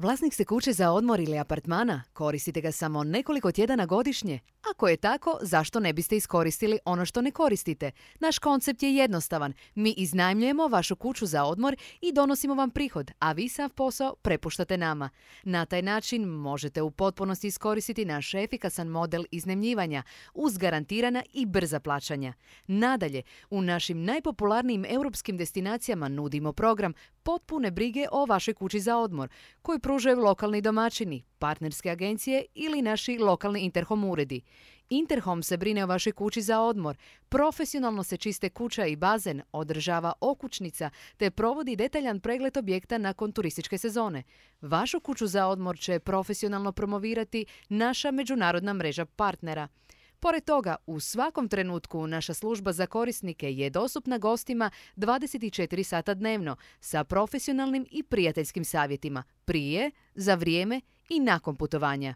Vlasnik ste kuće za odmor ili apartmana? Koristite ga samo nekoliko tjedana godišnje? Ako je tako, zašto ne biste iskoristili ono što ne koristite? Naš koncept je jednostavan. Mi iznajmljujemo vašu kuću za odmor i donosimo vam prihod, a vi sav posao prepuštate nama. Na taj način možete u potpunosti iskoristiti naš efikasan model iznajmljivanja uz garantirana i brza plaćanja. Nadalje, u našim najpopularnijim europskim destinacijama nudimo program potpune brige o vašoj kući za odmor, koji pružaju lokalni domaćini, partnerske agencije ili naši lokalni Interhome uredi. Interhome se brine o vašoj kući za odmor, profesionalno se čiste kuća i bazen, održava okućnica te provodi detaljan pregled objekta nakon turističke sezone. Vašu kuću za odmor će profesionalno promovirati naša međunarodna mreža partnera. Pored toga, u svakom trenutku naša služba za korisnike je dostupna gostima 24 sata dnevno sa profesionalnim i prijateljskim savjetima prije, za vrijeme i nakon putovanja.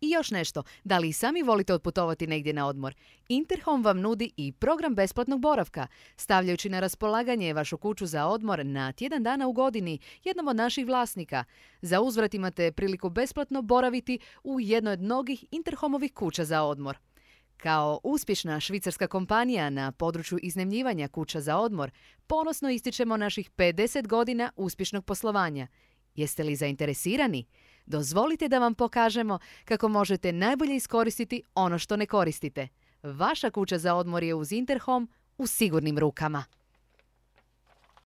I još nešto, da li i sami volite otputovati negdje na odmor? Interhome vam nudi i program besplatnog boravka, stavljajući na raspolaganje vašu kuću za odmor na tjedan dana u godini jednom od naših vlasnika. Za uzvrat imate priliku besplatno boraviti u jednoj od mnogih Interhomeovih kuća za odmor. Kao uspješna švicarska kompanija na području iznajmljivanja kuća za odmor, ponosno ističemo naših 50 godina uspješnog poslovanja. Jeste li zainteresirani? Dozvolite da vam pokažemo kako možete najbolje iskoristiti ono što ne koristite. Vaša kuća za odmor je uz Interhome u sigurnim rukama.